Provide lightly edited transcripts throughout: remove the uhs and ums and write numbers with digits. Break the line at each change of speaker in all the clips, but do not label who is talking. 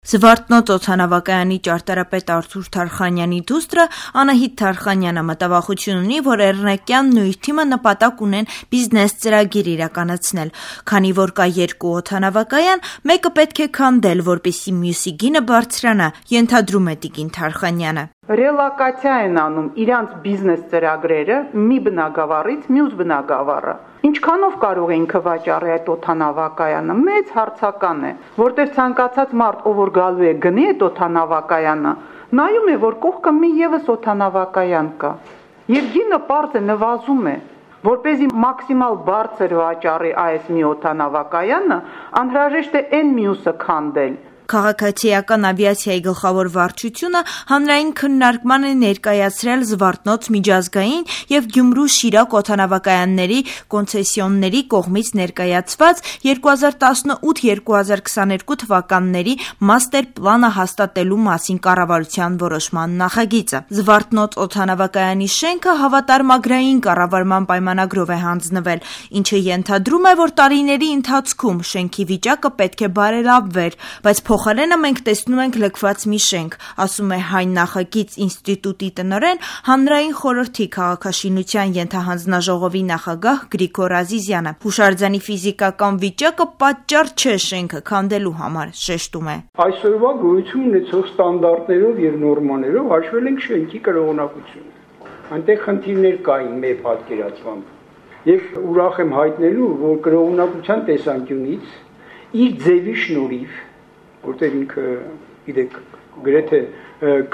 Զվարթնոց օդանավակայանի ճարտարապետ Արթուր Թարխանյանի դուստրը Անահիտ Թարխանյանը մտավախություն ունի, որ Էռնեկյանն ու իր թիմը նպատակ ունեն բիզնես ծրագիր իրականացնել, քանի որ կա երկու օդանավակայան, մեկը պետք է քանդել, որպեսզի մյուսի գինը բարձրանա, ենթադրում է տիկին Թարխանյանը։
Ռելոկացիա են անում իրանց բիզնես ծրագրերը մի բնակավարից մյուս բնակավարը։ Ինչքանով կարող է ինքը վաճառի այդ օդանավակայանը, մեծ հարցական է, որտեղ ցանկացած մարդ, ով որ գալու է գնի այդ օդանավակայանը, նայում է, որ կողքը մի եւս օդանավակայան կա։ Եվ գինը պարզ է նվազում է, որպեսզի մաքսիմալ բարձր վաճառի այս մի օդանավակայանը, անհրաժեշտ է այն մյուսը քանդել։
Քաղաքացիական ավիացիայի գլխավոր վարչությունը հանրային քննարկման է ներկայացրել Զվարթնոց միջազգային և Գյումրու-Շիրակ օդանավակայանների կոնցեսիոնների կողմից ներկայացված 2018-2022 թվականների մաստեր պլանը հաստատելու մասին կառավարության որոշման նախագիծը։ Զվարթնոց օդանավակայանի շենքը հավատարմագրային կառավարման պայմանագրով է հանձնվել, ինչը ենթադրում է, որ տարիների ընթացքում շենքի վիճակը պետք է բարելավվեր, բայց փոխարենը մենք տեսնում ենք լքված մի շենք, ասում է Հայ նախագիծ ինստիտուտի տնօրեն, հանրային խորհրդի քաղաքաշինության ենթահանձնաժողովի նախագահ Գրիգոր Ազիզյանը։ Հուշարձանի ֆիզիկական վիճակը պատճառ չէ շենքը քանդելու համար, շեշտում է։
Այսօրվա գոյություն ունեցող ստանդարտներով եւ նորմաներով հաշվել ենք շենքի կրողնակությունը։ Այնտեղ խնդիրներ կային մեր պատկերացմամբ։ Եվ ուրախ եմ հայտնելու, որ կրողնակության տեսանկյունից իր ձևի շնորհիվ, որտեղ ինքը գիտեք գրեթե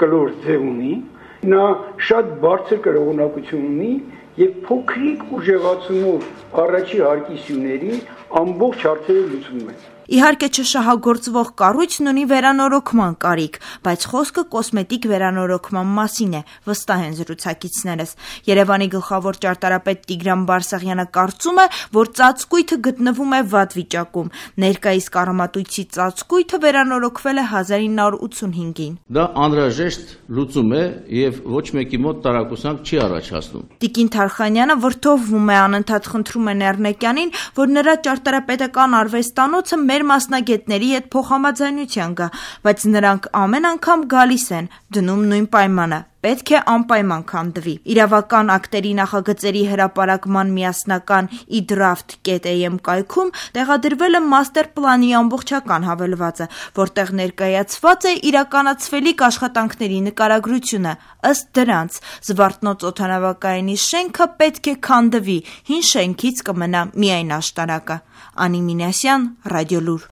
կլոր ձև ունի, նա շատ բարձր կրողնակություն ունի եւ փոքրիկ ուժեղացումով առաջի հարկի սյուների ամբողջ հարցերը լուծում է։
Իհարկե չշահագործվող կառույցն ունի վերանորոգման կարիք, բայց խոսքը կոսմետիկ վերանորոգման մասին է, վստահ են զրուցակիցներս։ Երևանի գլխավոր ճարտարապետ Տիգրան Բարսեղյանը կարծում է, որ ծածկույթը գտնվում է վատ վիճակում։ Ներկայիս կառամատույցի ծածկույթը վերանորոգվել է 1985-ին։
Դա անհրաժեշտ լուծում է եւ ոչ մեկի մոտ տարակուսանք չի առաջացնում։
Տիկին Թարխանյանը վրդովվում է, անընդհատ խնդրում է Էռնեկյանին, որ նրա ճարտարապետական արվեստանոցը մեր մասնագետների հետ փոխհամաձայնության գա, բայց նրանք ամեն անգամ գալիս են, դնում նույն պայմանը. պետք է անպայման քանդվի։ Իրավական ակտերի նախագծերի հրապարակման միասնական eDraft.am կայքում տեղադրվել է մաստեր պլանի ամբողջական հավելվածը, որտեղ ներկայացված է իրականացվելիք աշխատանքների նկարագրությունը։ Ըստ դրանց, Զվարթնոց օդանավակայանի շենքը պետք է քանդվի, հին շենքից կմնա միայն աշտարակը։ Անի Մինասյան, Ռադիոլուր։